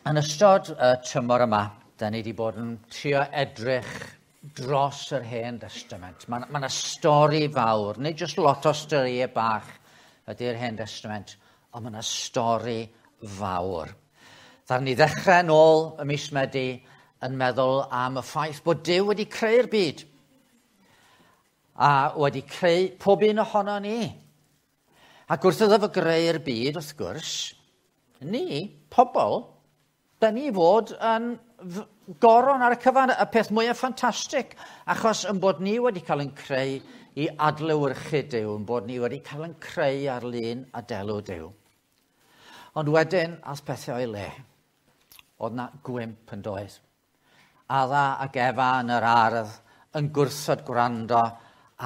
Yn ystod y tymor yma, da ni wedi bod yn trio edrych dros yr Hen Destament. Mae yna stori fawr, nid jyst lot o storïau bach ydy'r Hen Destament, ond mae yna stori fawr. Ddaru ni ddechrau yn ôl y mis Medi yn meddwl am y ffaith bod Duw wedi creu'r byd a wedi creu pob un ohono ni. Ac wrth iddo fo greu'r byd, wrth gwrs, ni, pobl, da ni fod yn goron ar y cyfan, y peth mwyaf ffantastig, achos yn bod ni wedi cael yn creu i adlewyrchu Duw, yn bod ni wedi cael yn creu ar lun a delw Duw. Ond wedyn, as pethau o'i le, oedd na gwymp yn doedd. Adda ac Efa yn yr ardd yn gwrthod gwrando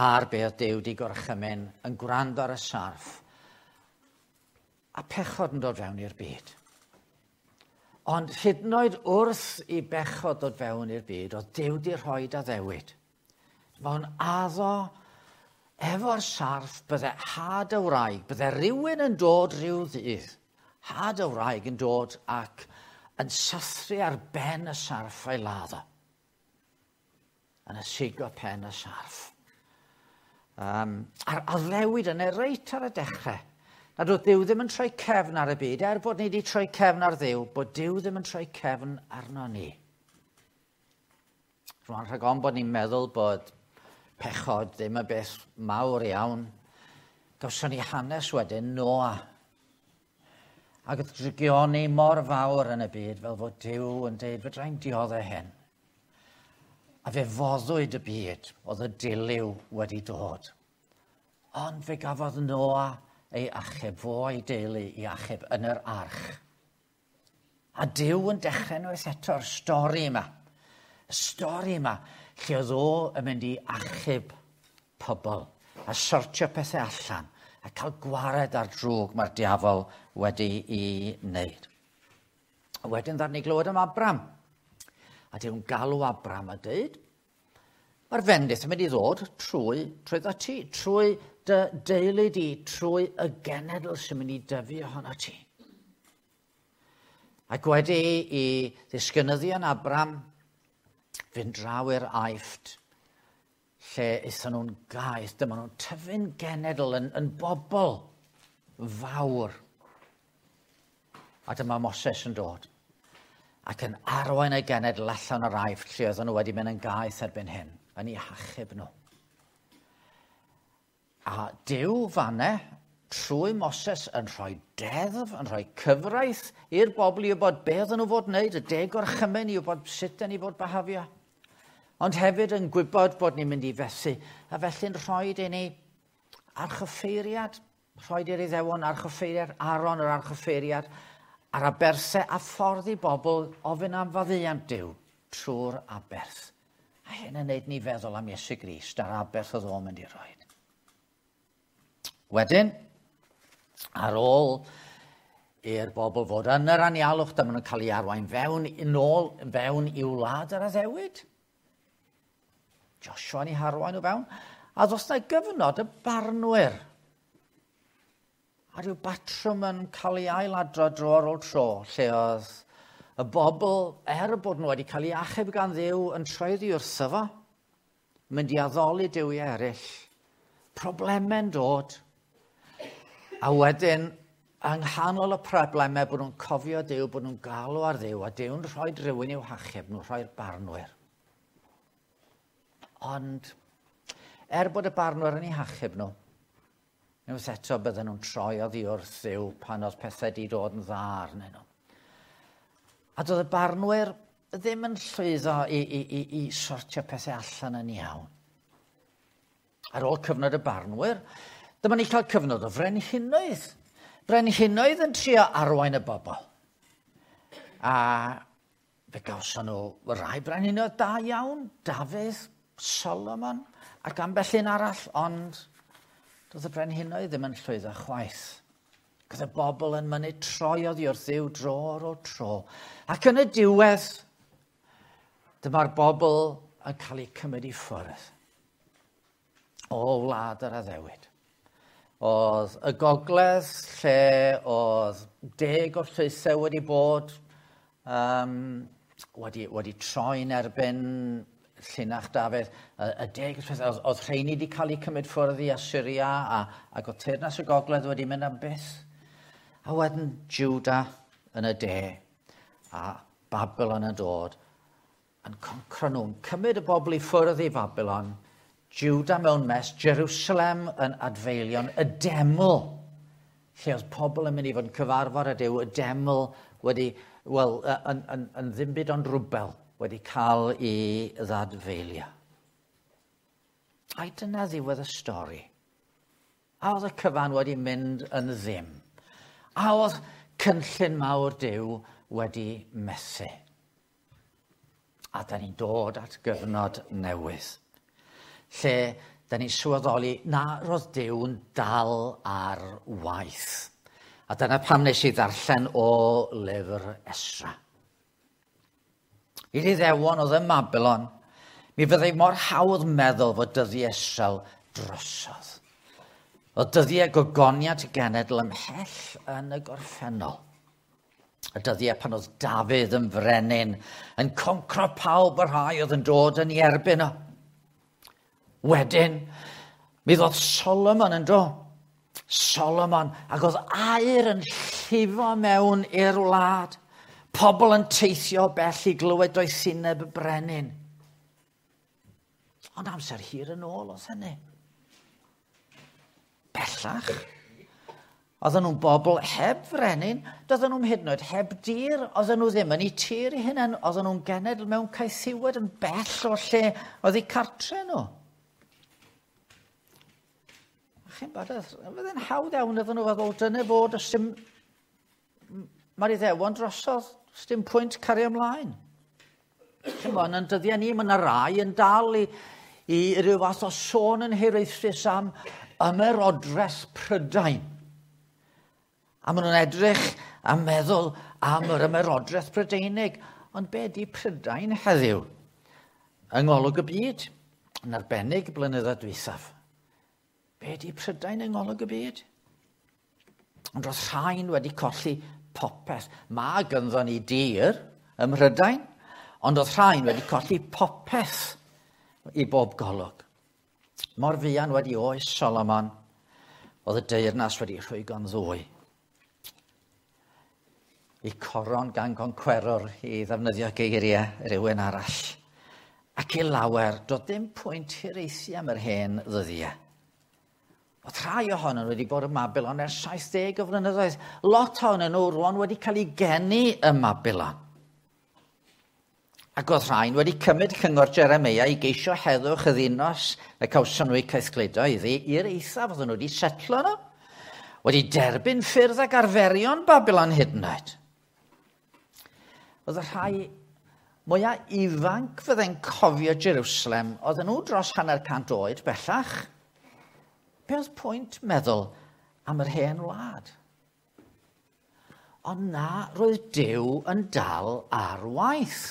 ar be oedd Duw di gorchymyn, yn gwrando ar y sarff, a pechod yn dod fewn i'r byd. Ond hyd yn oed wrth i bechod dod fewn i'r byd, oedd Duw di rhoi addewid. Mae'n addo efo'r sarff bydde had y wraig, bydde rhywun yn dod rhyw ddydd, had y wraig yn dod ac yn sathru ar ben y sarff a'i ladd o. Yn ysigo pen y sarff. A'r addewid yna reit ar y dechrau, nad oedd Duw ddim yn troi cefn ar y byd, er bod ni wedi troi cefn ar Dduw, bod Duw ddim yn troi cefn arno ni. Rwan rhag ofn bod ni'n meddwl bod pechod ddim yn beth mawr iawn, gawson ni hanes wedyn Noa. Ac oedd drygioni mor fawr yn y byd fel fod Duw yn deud, fedra i'n dioddef hyn. A fe foddwyd y byd, oedd y dilyw wedi dod. Ond fe gafodd Noa ei achub, fo a'i deulu i achub yn yr arch. A Duw yn dechrau unwaith eto'r stori yma. Y stori yma, lle oedd o yn mynd i achub pobl a sortio pethau allan a cael gwared ar drwg mae'r diafol wedi i wneud. A wedyn ddaru ni glywed am Abram. A Duw'n galw Abram a dweud, mae'r fendith yn mynd i ddod trwy, trwy ti, trwy dy deulu di, trwy y genedl sy'n mynd i dyfu ohono ti. Ac wedi i ddisgynyddion Abram fynd draw i'r Aifft, lle aethon nhw'n gaeth, dyma nhw'n tyfu'n genedl yn, yn bobl fawr. A dyma Moses yn dod ac yn arwain y genedl allan o'r Aifft lle oedden nhw wedi mynd yn gaeth erbyn hyn, yn eu hachub nhw. A Duw fanne, trwy Moses, yn rhoi deddf, yn rhoi cyfraith i'r bobl i wybod be oedden nhw fod wneud, y deg orchymyn i wybod sut dyn ni fod behafio. Ond hefyd yn gwybod bod ni'n mynd i fethu, a felly'n rhoi i ni archoffeiriad, rhoi i'r Iddewon archoffeiriad, Aaron yr archoffeiriad, a'r aberthau a ffordd i bobl ofyn am faddeuant Duw trwy'r aberth. A hyn yn neud ni feddwl am Iesu Grist a'r aberth oedd o'n mynd i roi. Wedyn, ar ôl i'r bobl fod yn yr anialwch, dyma nhw'n cael ei arwain fewn, yn ôl, fewn i'w wlad yr addewid. Joshua yn ei harwain nhw fewn. A ddos na gyfnod y barnwyr. A rhyw batrwm yn cael ei ailadrodd dro ar ôl tro, lle oedd y bobl, er bod nhw wedi cael ei achub gan Dduw, yn troi oddi wrtho fo, mynd i addoli duwiau eraill, problemau'n dod, a wedyn, yng nghanol y problemau, bod nhw'n cofio Duw, bod nhw'n galw ar Dduw, a Duw'n rhoi rhywun i'w hachub nhw, rhoi'r barnwyr. Ond, er bod y barnwyr yn eu hachub nhw, unwaith eto bydden nhw'n troi oddi wrth Dduw pan oedd pethau wedi dod yn dda arnyn nhw. A doedd y barnwyr ddim yn llwyddo i, i, i, i sortio pethau allan yn iawn. Ar ôl cyfnod y barnwyr, dyma ni cael cyfnod o frenhinoedd. Brenhinoedd yn trio arwain y bobl. A fe gawson nhw rai brenhinoedd da iawn, Dafydd, Solomon, ac ambell un arall, ond doedd y brenhinoedd ddim yn llwyddo chwaith. Oedd y bobl yn mynnu troi oddi wrth Dduw dro ar ôl tro. Ac yn y diwedd, dyma'r bobl yn cael eu cymryd i ffwrdd o wlad yr addewid. Oedd y gogledd lle oedd 10 o'r llwythau wedi bod wedi troi'n erbyn llinach Dafydd. Y deg ysbryd, oedd rheini wedi cael eu cymryd ffwrdd i Assyria ac oedd teyrnas y gogledd wedi mynd am byth. A wedyn Juda yn y de a Babylon yn dod yn concro nhw, yn cymryd y bobl i ffwrdd i Babylon, Juda mewn mes, Jerusalem yn adfeilion, y deml, lle oedd pobl yn mynd i fod yn cyfarfod â Duw, y deml wedi, wel, yn ddim byd ond rwbel wedi cael ei ddadfeilio. Ai dyna ddiwedd y stori? A oedd y cyfan wedi mynd yn ddim? A oedd cynllun mawr Duw wedi methu? A da ni'n dod at gyfnod newydd, lle da ni'n sylweddoli na roedd Duw'n dal ar waith. A dyna pam nes i ddarllen o lyfr Esra. I'r Iddewon oedd ym Mabilon, mi fyddai mor hawdd meddwl fod dyddiau Israel drosodd. Oedd dyddiau gogoniant y genedl ymhell yn y gorffennol. Y dyddiau pan oedd Dafydd yn frenin, yn concro pawb y rhai oedd yn dod yn ei erbyn o. Wedyn, mi ddod Solomon yn dod. Solomon, ac oedd aur yn llifo mewn i'r wlad. Pobl yn teithio bell i glywed doethineb y brenin. Ond amser hir yn ôl oedd hynny. Bellach, oedden nhw'n bobl heb frenin, doedden nhw'n hyd yn oed heb dir, oedden nhw ddim yn eu tir eu hunain, oedden nhw'n genedl mewn caethiwed yn bell o lle oedd eu cartre nhw. A chi'n bod, fydde'n hawdd iawn iddyn nhw feddwl, dyna fod, os dim, mae'r Iddewon drosodd, os dim pwynt cario ymlaen. Chi'n bod, yn dyddiau ni, mae yna rai yn dal i ryw fath o sôn yn hiraethus am ymerodraeth Prydain. A maen nhw'n edrych a meddwl am yr ymerodraeth Prydeinig. Ond be di Prydain heddiw? Yng ngolwg y byd, yn arbennig blynyddoedd dwythaf. Be di Prydain yng ngolwg y byd? Ond roedd rhain wedi colli popeth. Mae gynddon ni dir ym Mhrydain, ond oedd rhain wedi colli popeth i bob golwg. Mor fuan wedi oes Solomon, oedd y deyrnas wedi rhwygo'n ddwy. I coron gan goncwerwr i ddefnyddio geiriau rhywun arall. Ac i lawer, doedd dim pwynt hiraethu am yr hen ddyddiau. Oedd rhai ohonyn nhw wedi bod ym Mabilon ers 70 o flynyddoedd. Lot ohonyn nhw rwan wedi cael eu geni ym Mabilon. Ac oedd rhain wedi cymryd cyngor Jeremeia i geisio heddwch y ddinas y cawson nhw eu caethgludo iddi i'r eithaf oedden nhw wedi setlo nhw. Wedi derbyn ffyrdd ac arferion Babilon hyd yn oed. Oedd y rhai mwyaf ifanc fydde'n cofio Jerusalem, oedden nhw dros 150 oed bellach. Be oedd pwynt meddwl am yr hen wlad? Ond na, roedd Duw yn dal ar waith.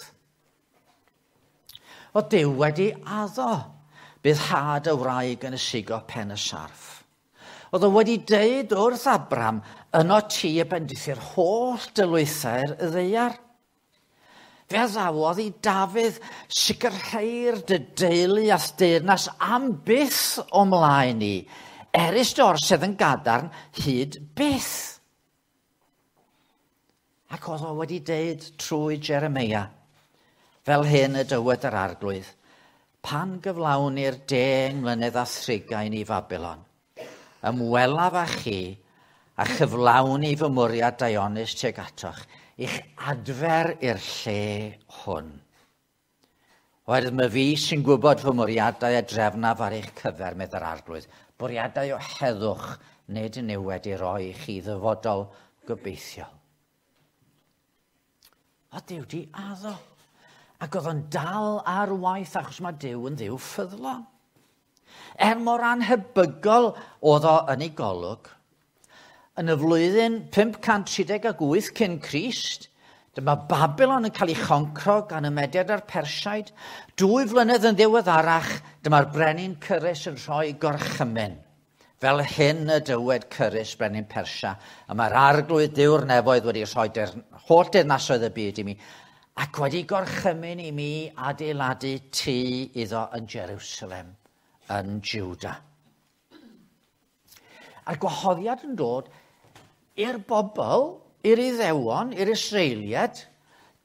Oedd Duw wedi addo, bydd had y wraig yn ysigo pen y sarff. Oedd o wedi deud wrth Abram, yno ti y bendithi'r holl dylwythau'r ddaear. Fe addawodd i Dafydd sicrhau'r dy deulu a deyrnas am byth o mlaen i, erys dy orsedd yn gadarn hyd byth. Ac oedd o wedi deud trwy Jeremeia, fel hyn y dywed yr arglwydd, pan gyflawni'r 10 mlynedd a thrigain i Fabilon, ymwelaf â chi a chyflawni fy mwriad daionus tuag atoch, i'ch adfer i'r lle hwn. Oherwydd mae fi sy'n gwybod fy mwriadau a drefnaf ar eich cyfer, medd yr arglwydd, bwriadau o heddwch nid niwed i roi i chi ddyfodol gobeithiol. O Duw di addo. Ac oedd o'n dal ar waith achos mae Duw yn Dduw ffyddlon. Er mor anhebygol oedd o yn ei golwg, yn y flwyddyn 538 cyn Crist, dyma Babylon yn cael ei choncro gan y Mediad a'r Persiaid. 2 flynedd yn ddiweddarach, dyma'r brenin Cyrus yn rhoi gorchymyn. Fel hyn y dywed Cyrus brenin Persia, a mae'r arglwydd Duw'r nefoedd wedi rhoi holl deyrnasoedd y byd i mi, ac wedi gorchymyn i mi adeiladu tŷ iddo yn Jerusalem, yn Juda. A'r gwahoddiad yn dod i'r bobl, i'r Iddewon, i'r Israeliaid,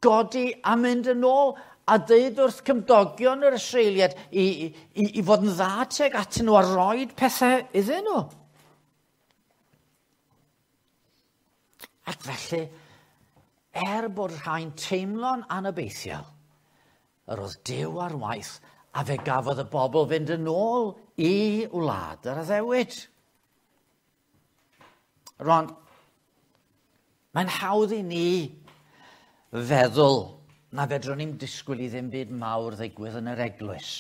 godi a mynd yn ôl a dweud wrth cymdogion yr Israeliaid i fod yn dda tuag atyn nhw a roed pethau iddyn nhw. Ac felly, er bod rhai'n teimlo'n anobeithiol, yr oedd Duw ar waith a fe gafodd y bobl fynd yn ôl i wlad yr addewid. Rwan, mae'n hawdd i ni feddwl na fedrwn ni'm disgwyl i ddim byd mawr ddigwydd yn yr eglwys.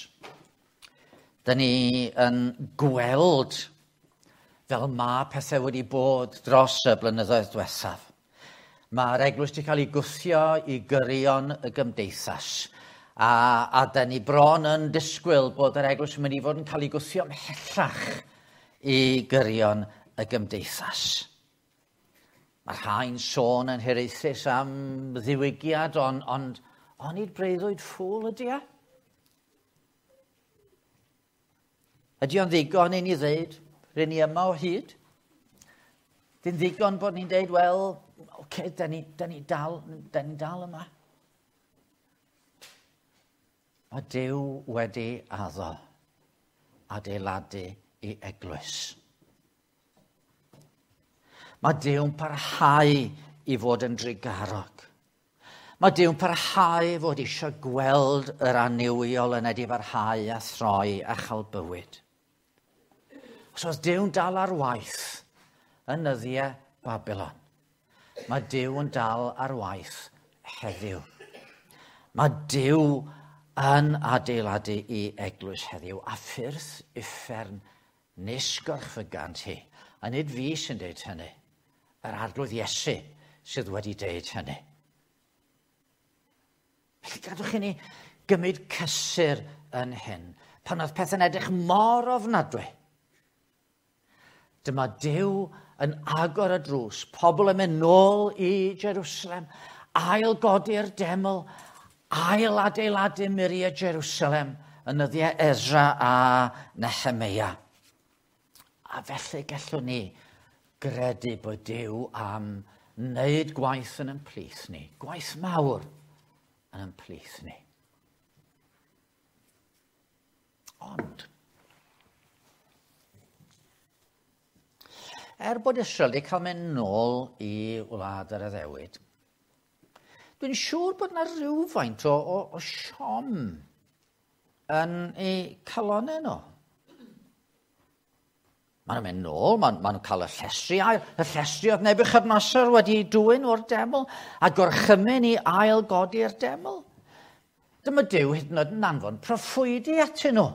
Da ni yn gweld fel mae pethau wedi bod dros y blynyddoedd diwethaf. Mae'r eglwys wedi cael ei gwthio i gyrion y gymdeithas. A da ni bron yn disgwyl bod yr eglwys yn mynd i fod yn cael ei gwthio ymhellach i gyrion y gymdeithas. Mae rhai'n sôn yn hiraethus am ddiwygiad, ond onid breuddwyd ffŵl ydy e? Ydy o'n ddigon i ni ddeud, rŷn ni yma o hyd? Dyn ddigon bod ni'n deud, wel, oce, da ni dal yma. Mae Duw wedi addo adeiladu i eglwys. Mae Duw'n parhau i fod yn drugarog. Mae Duw'n parhau i fod eisiau gweld yr annuwiol yn edifarhau a throi a chael bywyd. Os oedd Duw'n dal ar waith yn nyddiau Babilon, mae Duw yn dal ar waith heddiw. Mae Duw yn adeiladu i eglwys heddiw a ffyrdd uffern nis gorchfygant hi. A nid fi sy'n deud hynny, yr Arglwydd Iesu sydd wedi deud hynny. Felly gadwch i ni gymryd cysur yn hyn, pan oedd pethau'n edrych mor ofnadwy. Dyma Duw yn agor y drws, pobl yn mynd nôl i Jerusalem, ail godi'r deml, ail adeiladu muriau Jerusalem yn nyddiau Ezra a Nehemia. A felly gallwn ni gredu bod Duw am wneud gwaith yn ein plith ni, gwaith mawr yn ein plith ni. Ond, er bod Israel wedi cael mynd nôl i wlad yr addewid, dwi'n siŵr bod yna rhywfaint o siom yn eu calonnau nhw. Maen nhw'n mynd nôl, maen nhw'n cael y llestri ail. Y llestri oedd Nebuchadnezzar wedi dwyn o'r deml a gorchymyn i ail godi'r deml. Dyma Duw hyd yn oed yn anfon proffwydi atyn nhw.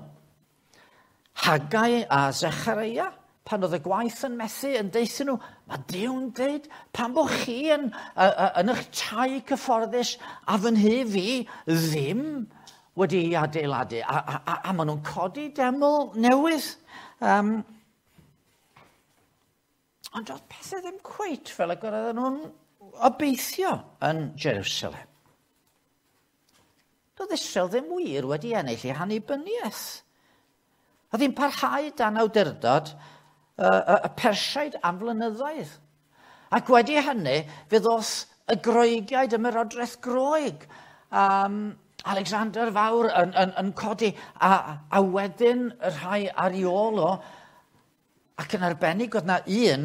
Haggai a Zechariah, pan oedd y gwaith yn methu, yn deuthyn nhw, mae Duw'n deud, pan bod chi yn eich tai cyfforddus a fy nhŷ fi ddim wedi ei adeiladu. A maen nhw'n codi deml newydd. Ond oedd pethau ddim cweit fel y oedden nhw'n obeithio yn Jerusalem. Doedd Israel ddim wir wedi ennill ei hannibyniaeth. Oedd hi'n parhau dan awdurdod y Persiaid am flynyddoedd. Ac wedi hynny, fe ddoth y Groegiaid, ymerodraeth Groeg, Alexander Fawr yn codi, a wedyn y rhai ar ei ôl o, ac yn arbennig oedd na un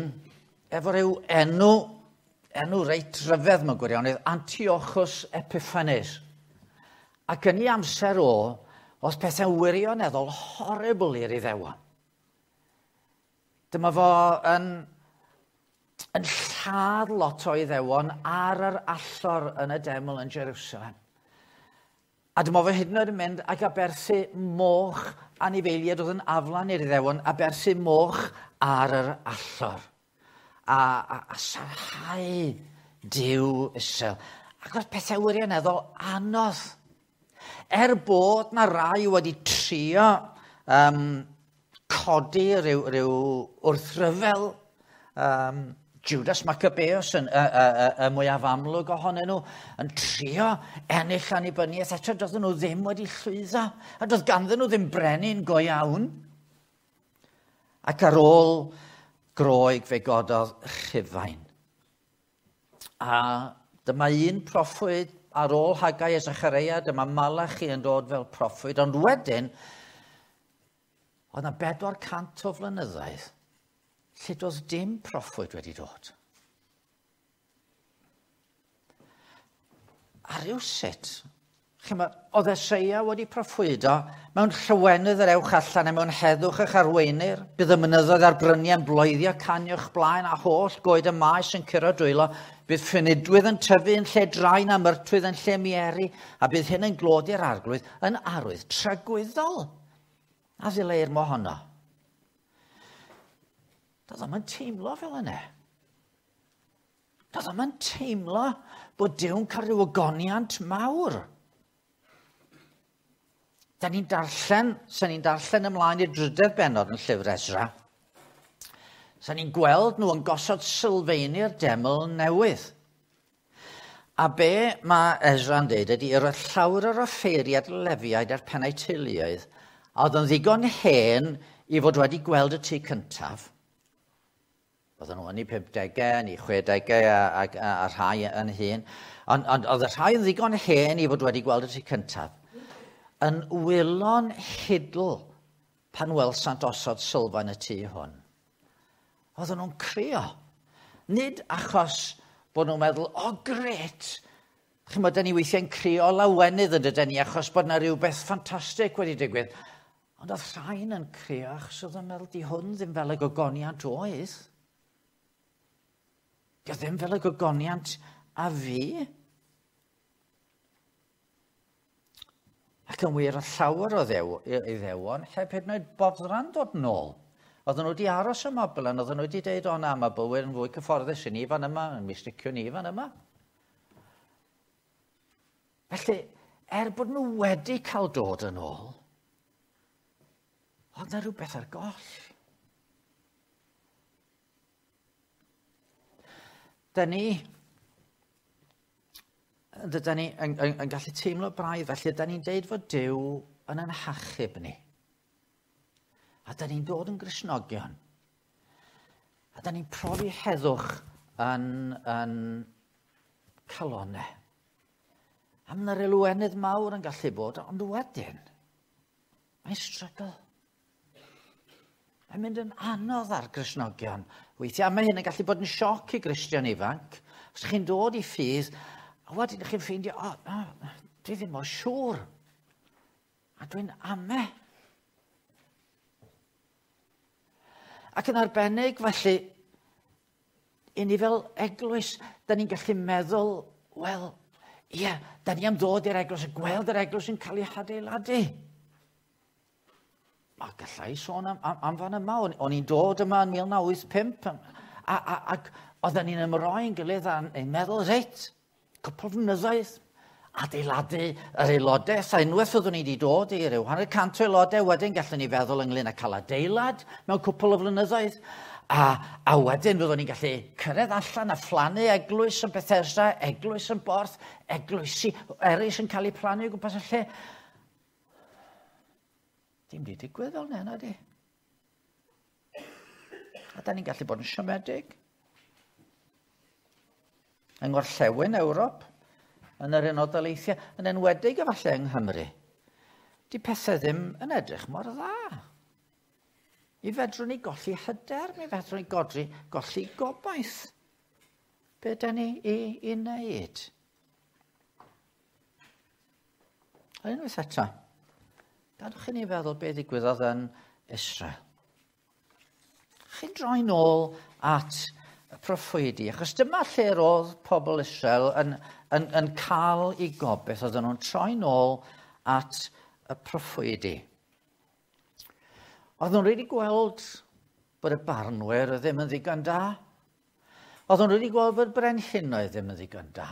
efo rhyw enw reit rhyfedd mewn gwirionedd, Antiochus Epiphanes. Ac yn ei amser o, oedd pethau'n wirioneddol horrible i'r Iddewon. Dyma fo yn lladd lot o Iddewon ar yr allor yn y deml yn Jerusalem. A dyma fo hyd yn oed yn mynd ac aberthu moch anifeiliaid oedd yn aflan i'r Iddewon, aberthu moch ar yr allor. A sarhau Duw Israel. Ac oedd pethau wirioneddol anodd. Er bod na rai wedi trio codi rhyw wrthryfel. Judas Maccabeus yn y mwyaf amlwg ohonyn nhw, yn trio ennill annibyniaeth. Eto doedden nhw ddim wedi llwyddo, a doedd ganddyn nhw ddim brenin go iawn. Ac ar ôl Groeg fe gododd Rhufain. A dyma un proffwyd ar ôl Haggai a Zechariah, dyma Malachi yn dod fel proffwyd, ond wedyn, oedd yna 400 o flynyddoedd lle doedd dim proffwyd wedi dod. A rywsut, chimod, oedd Eseia wedi proffwydo mewn llawenydd yr ewch allan a mewn heddwch eich arweinir, bydd y mynyddoedd a'r bryniau'n bloeddio canu o'ch blaen a holl goed y maes yn curo dwylo, bydd ffynidwydd yn tyfu yn lle drain a myrtwydd yn lle mieri, a bydd hyn yn glod i'r arglwydd yn arwydd tragwyddol. A ddileir mohono. Doedd o'm yn teimlo fel yna. Doedd o'm yn teimlo bod Duw'n cael rhyw ogoniant mawr. Da ni'n darllen, sa ni'n darllen ymlaen i'r drydedd bennod yn llyfr Esra, sa ni'n gweld nhw yn gosod sylfeini'r deml newydd. A be mae Esra'n deud ydy, yr oedd llawer o'r offeiriad Lefiaid a'r pennau teuluoedd, a oedd yn ddigon hen i fod wedi gweld y tŷ cyntaf. Oedden nhw yn eu 50au, yn eu 60au a rhai yn hŷn. Ond oedd y rhai yn ddigon hen i fod wedi gweld y tŷ cyntaf. Yn wylo'n hidl pan welsant osod sylfaen y tŷ hwn. Oedden nhw'n crio. Nid achos bod nhw'n meddwl, o gret, chimod, da ni weithiau'n crio lawenydd yn dydyn ni achos bod yna rhywbeth ffantastig wedi digwydd. Ond oedd rhain yn crio achos oedd yn meddwl, di hwn ddim fel y gogoniant oedd. Di o ddim fel y gogoniant a fi. Ac yn wir, oedd llawer o iddewon heb hyd yn oed boddran dod nôl. Oedden nhw wedi aros ym Mabilon, oedden nhw wedi deud, o na, mae bywyd yn fwy cyfforddus i ni fan yma, yn mi sticio ni fan yma. Felly, er bod nhw wedi cael dod yn ôl, oedd yna rhywbeth ar goll. Da ni yn gallu teimlo braidd, felly da ni'n deud fod Duw yn ein hachub ni. A da ni'n dod yn Gristnogion. A da ni'n profi heddwch yn calonau. A mae yna lawenydd mawr yn gallu bod, ond wedyn, mae'n strygl. Mae'n mynd yn anodd ar Gristnogion weithiau. A mae hyn yn gallu bod yn sioc i Gristion ifanc. Os chi'n dod i ffydd, a wedyn chi'n ffeindio, o, dwi ddim mor siŵr. A dwi'n ame. Ac yn arbennig, felly, i ni fel eglwys, da ni'n gallu meddwl, wel, ie, da ni am ddod i'r eglwys a gweld yr eglwys yn cael ei hadeiladu. A gallai sôn am fan yma, o'n i'n dod yma yn 1985, ac oedden ni'n ymroi'n gilydd a'n meddwl, reit, cwpl o flynyddoedd, adeiladu yr aelodaeth, a unwaith fyddwn ni wedi dod i ryw 100 o aelodau, wedyn gallwn ni feddwl ynglyn â cael adeilad mewn cwpl o flynyddoedd, a wedyn fyddwn ni'n gallu cyrraedd allan a phlannu eglwys yn Bethesda, eglwys yn Borth, eglwysi eraill yn cael eu plannu o gwmpas y lle. Dim di digwydd fel 'na, nadi. A da ni'n gallu bod yn siomedig. Yng Ngorllewin Ewrop, yn yr Unol Daleithiau, yn enwedig efallai yng Nghymru, di pethau ddim yn edrych mor dda. Mi fedrwn ni golli hyder, mi fedrwn ni golli gobaith. Be da ni i wneud? A unwaith eto, gadwch i ni feddwl be ddigwyddodd yn Israel. Chi'n droi nôl at y proffwydi, achos dyma lle roedd pobl Israel yn cael eu gobaith, oedden nhw'n troi nôl at y proffwydi. Oedden nhw wedi gweld bod y barnwyr ddim yn ddigon da. Oedden nhw wedi gweld bod brenhinoedd ddim yn ddigon da.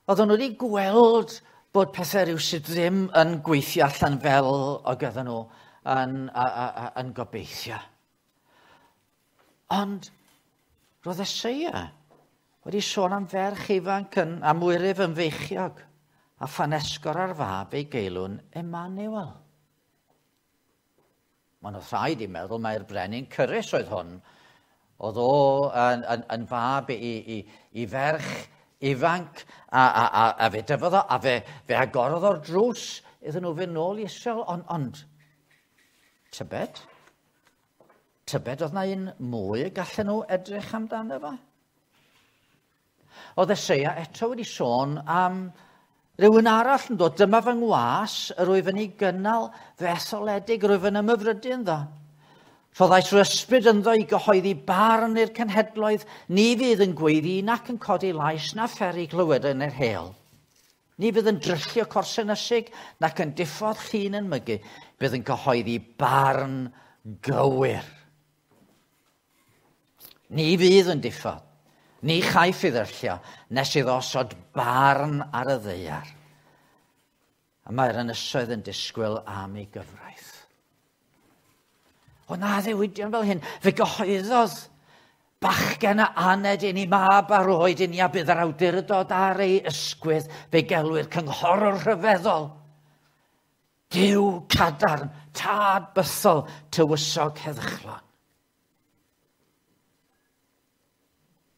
Oedden nhw wedi gweld bod pethau rhywsut ddim yn gweithio allan fel o gyda nhw yn gobeithio. Ond roedd Eseia wedi sôn am ferch ifanc yn, am wyryf yn feichiog a phan esgor ar fab ei geilwn Emmanuel. Mae'n oedd rhaid i meddwl mai'r brenin Cyrus oedd hwn. Oedd o yn fab i ferch ifanc a fe dyfodd o a fe agorodd o'r drws iddyn nhw fynd nôl i Israel. Ond tybed oedd na un mwy y gallen nhw edrych amdano fo? Oedd Eseia eto wedi sôn am rhywun arall yn dod. Dyma fy ngwas, yr wyf yn ei gynnal, fy etholedig, yr wyf yn ymhyfrydu ynddo. Rhoddais yr ysbryd ynddo i gyhoeddi barn i'r cenhedloedd, ni fydd yn gweiddi nac yn codi lais na pheri glywed yn yr heol. Ni fydd yn dryllio corsen ysig nac yn diffodd llun yn mygu, bydd yn cyhoeddi barn gywir. Ni fydd yn diffodd, ni chaiff ei ddryllio, nes iddo osod barn ar y ddaear. A mae'r ynysoedd yn disgwyl am ei gyfraith. O na ddewidion fel hyn, fe gyhoeddodd bachgen a aned i ni, mab a roed i ni, a bydd yr awdurdod ar ei ysgwydd, fe gelwir cynghorwr rhyfeddol. Duw cadarn, tad bythol, tywysog heddychlon.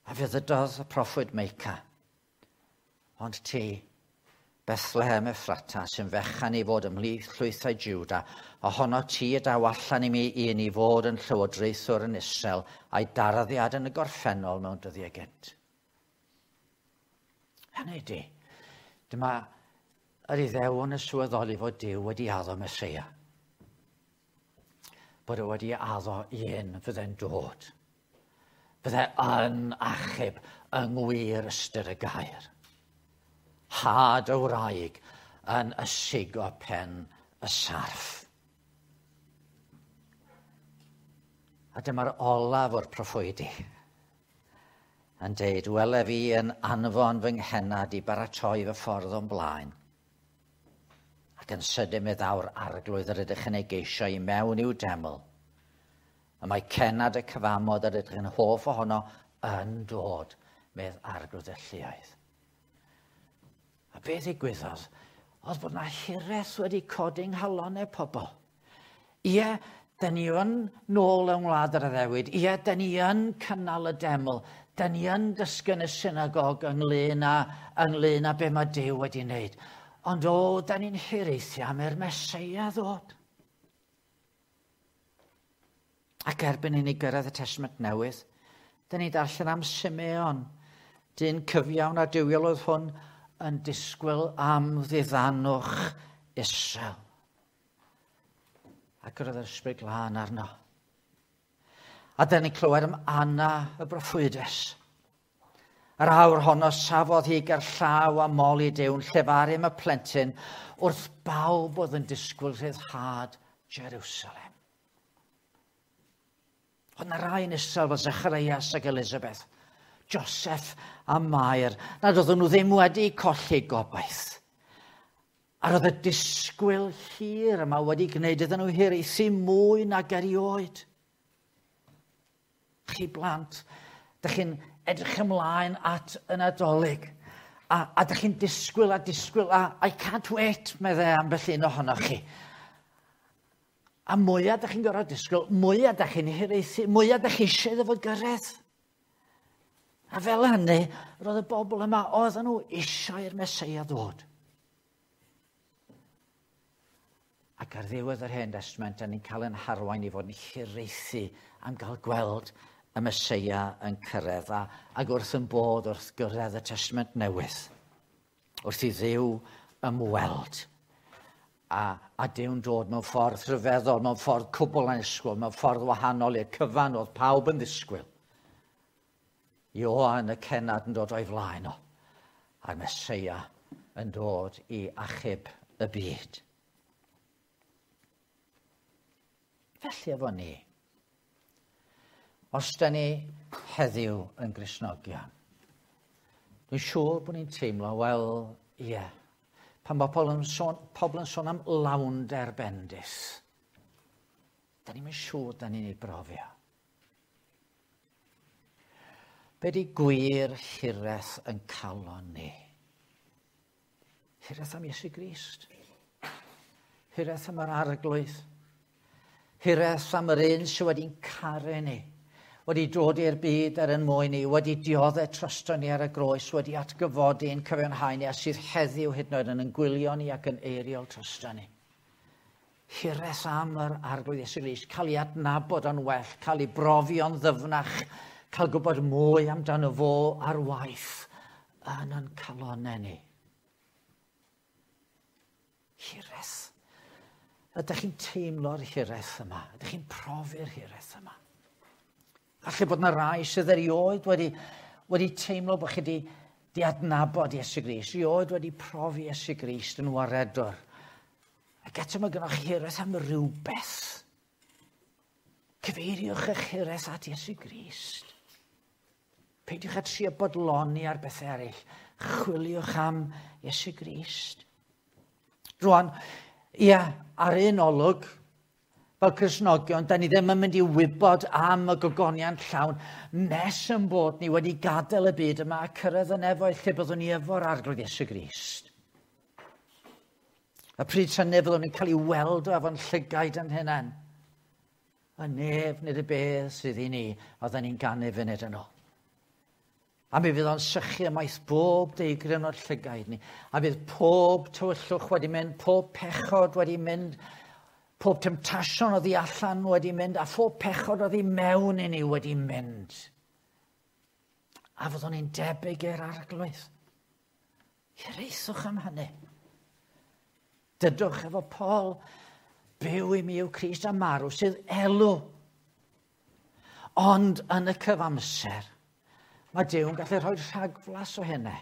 A fe ddydodd y proffwyd Meica, ond ti, Bethlehem Ephrata, sy'n fechan i fod ymhlith llwythau Juda, ohono ti y daw allan i mi un i fod yn llywodraethwr yn Israel a'i darddiad yn y gorffennol mewn dyddiau gynt. Hynny ydi, dyma yr Iddewon yn sylweddoli fod Duw wedi addo Meseia. Bod e wedi addo un fydde'n dod. Fydde yn achub yng ngwir ystyr y gair. Had y wraig yn ysigo pen y sarff. A dyma'r olaf o'r proffwydi yn deud, wele fi yn anfon fy nghennad i baratoi fy ffordd o'n blaen. Ac yn sydyn mi ddaw'r arglwydd yr ydych yn ei geisio i mewn i'w deml. A mae cennad y cyfamod yr ydych yn hoff ohono yn dod, medd arglwydd y lluoedd. A beth ddigwyddodd oedd bod na hiraeth wedi codi yng nghalonnau pobl. Ie, da ni yn nôl yng ngwlad yr addewid. Ie, da ni yn cynnal y deml. Da ni yn dysgu yn y synagog ynglyn â be mae Duw wedi wneud. Ond o, da ni'n hiraethu am i'r Meseia ddod. Ac erbyn i ni gyrraedd y Testament Newydd, da ni darllen am Simeon, dyn cyfiawn a duwiol oedd hwn yn disgwyl am ddiddanwch Israel. Ac yr oedd yr Ysbryd Glân arno. A da ni'n clywed am Anna y broffwydes. Yr awr honno safodd hi ger llaw a moli Duw'n llefaru am y plentyn wrth bawb oedd yn disgwyl rhyddhad Jerusalem. Oedd na rai yn Israel fel Zacharias ac Elizabeth, Joseph a Mair, nad oedden nhw ddim wedi colli gobaith. A roedd y disgwyl hir yma wedi gwneud iddyn nhw hiraethu mwy nag erioed. Chi blant, dych chi'n edrych ymlaen at y Nadolig. A dych chi'n disgwyl a disgwyl, a I can't wait, meddai ambell un ohonoch chi. A mwyaf dych chi'n gorfod disgwyl, mwyaf dych chi'n hiraethu, mwyaf dych chi eisiau iddo fo gyrraedd. A fel hynny, roedd y bobl yma, oedden nhw eisiau i'r Meseia ddod. Ac ar ddiwedd yr Hen Testament, da ni'n cael ein harwain i fod yn hiraethu am gael gweld y Meseia yn cyrraedd ac wrth yn bod wrth gyrraedd y Testament Newydd, wrth i Dduw ymweld. A Duw'n dod mewn ffordd rhyfeddol, mewn ffordd cwbl annisgwyl, mewn ffordd wahanol i'r cyfan oedd pawb yn ddisgwyl. Ioan y cennad yn dod o'i flaen o, a'r Meseia yn dod i achub y byd. Felly efo ni, os da ni heddiw yn Gristnogion, dwi'n siŵr bod ni'n teimlo, wel, ie, pan mae pobl yn sôn am lawnder bendith. Da ni'n siŵr da ni'n ei brofio. Be di gwir hiraeth yn calon ni? Hiraeth am Iesu Grist. Hiraeth am yr Arglwydd. Hiraeth am yr un sydd wedi'n caru ni, wedi dod i'r byd er yn mwyn ni, wedi dioddef drosto ni ar y groes, wedi atgyfodi yn cyfiawnhau ni, a sydd heddiw hyd yn oed yn gwylio ni ac yn eiriol drosto ni. Hiraeth am yr Arglwydd Iesu Grist, cael ei adnabod yn well, cael ei brofio'n ddyfnach, cael gwybod mwy amdano fo ar waith yn ein calonau ni. Hiraeth. Ydych chi'n teimlo'r hiraeth yma? Ydych chi'n profi'r hiraeth yma? Falle bod yna rai sydd erioed wedi teimlo bod chi wedi adnabod Iesu Grist, erioed wedi profi Iesu Grist yn waredwr. Ac eto mae gennych chi hiraeth am rywbeth. Cyfeiriwch eich hiraeth at Iesu Grist. Peidiwch â trio bodloni ar bethau eraill. Chwiliwch am Iesu Grist. Rwan, ia, ar un olwg, fel Cristnogion, da ni ddim yn mynd i wybod am y gogoniant llawn nes yn bod ni wedi gadael y byd yma a cyrraedd y nefoedd lle byddwn ni efo'r Arglwydd Iesu Grist. A pryd hynny fyddwn ni'n cael ei weld o efo'n llygaid yn hunain. Y nef nid y bedd sydd i ni, oedden ni'n ganu funud yn ôl. A mi fydd o'n sychu ymaith bob deigryn o'r llygaid ni. A fydd pob tywyllwch wedi mynd, pob pechod wedi mynd, pob temtasiwn oddi allan wedi mynd, a phob pechod oddi mewn i ni wedi mynd. A fyddwn ni'n debyg i'r Arglwydd. Hiraethwch am hynny. Dydwch efo Paul, byw i mi yw Crist a marw sydd elw. Ond yn y cyfamser, mae Duw yn gallu rhoi rhagflas o hynny.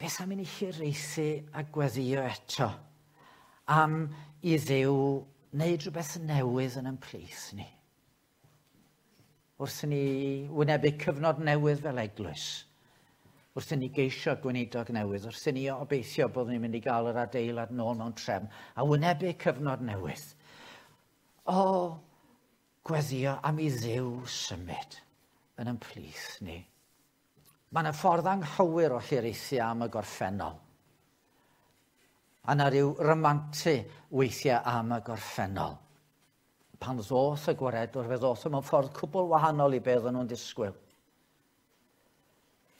Beth am i ni hiraethu a gweddio eto am i Dduw wneud rhywbeth newydd yn ein plith ni? Wrth i ni wynebu cyfnod newydd fel eglwys, wrth i ni geisio gweinidog newydd, wrth i ni obeithio bod ni'n mynd i gael yr adeilad nôl mewn trefn, a wynebu cyfnod newydd. O, gweddio am i Dduw symud yn ein plith ni. Mae yna ffordd anghywir o hiraethu am y gorffennol. A yna rhyw ramantu weithiau am y gorffennol. Pan ddoth y gwaredwr, fe ddoth o mewn ffordd cwbl wahanol i beth oedden nhw'n disgwyl.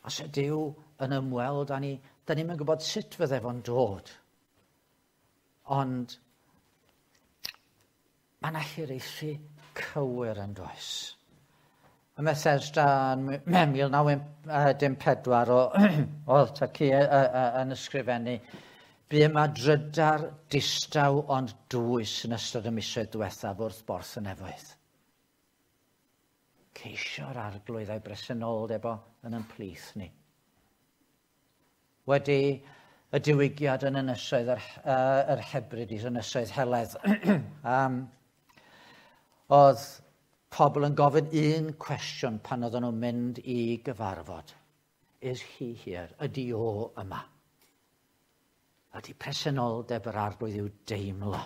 Os ydy Duw yn ymweld â ni, da ni'm yn gwybod sut fydde fo'n dod. Ond mae yna hiraethu cywir yn does. Ym Methesda yn 1914 oedd Taci yn ysgrifennu, bu yma drydar distaw ond dwys yn ystod y misoedd diwethaf wrth borth y nefoedd. Ceisio'r Arglwydd a'i bresenoldeb o yn ein plith ni. Wedi y diwygiad yn ynysoedd yr Hebrides, ynysoedd Heledd, oedd pobl yn gofyn un cwestiwn pan oedden nhw'n mynd i gyfarfod. Is he here? Ydy o yma? Ydy presenoldeb yr Arglwydd i'w deimlo?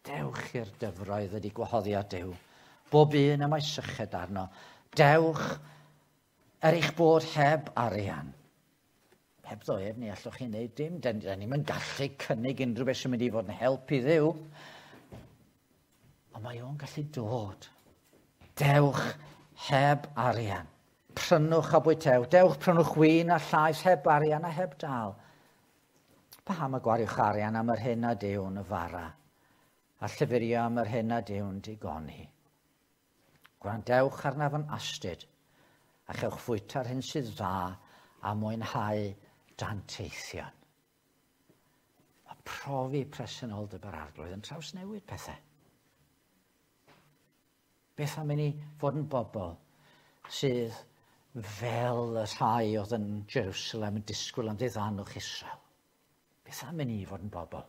Dewch i'r dyfroedd ydy gwahoddiad Duw. Bob un y mae syched arno. Dewch er eich bod heb arian. Heb ddo ef, ni allwch chi wneud dim. Da ni'm yn gallu cynnig unrhyw beth sy'n mynd i fod yn help i Dduw. Ond mae o'n gallu dod. Dewch heb arian. Prynwch a bwytewch. Dewch prynwch win a llaeth heb arian a heb dal. Paham y gwariwch arian am yr hyn nad yw'n fara, a llyfurio am yr hyn nad yw'n digoni? Gwrandewch arnaf yn astud, a chewch fwyta'r hyn sydd dda a mwynhau danteithion. Mae profi presenoldeb yr Arglwydd yn trawsnewid pethau. Beth am i ni fod yn bobl sydd fel y rhai oedd yn Jerusalem yn disgwyl am ddiddanwch Israel? Beth am i ni fod yn bobl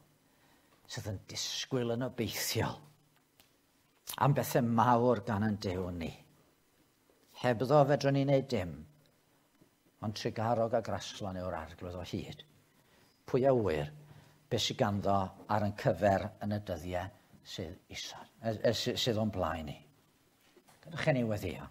sydd yn disgwyl yn obeithiol am bethau mawr gan yn Duw ni? Hebddo fedrwn ni wneud dim, ond trugarog a graslon yw'r Arglwydd o hyd. Pwy a ŵyr beth sydd ganddo ar yn cyfer yn y dyddiau sydd isod, sydd o'n blaen ni. Gadewch i ni weddio.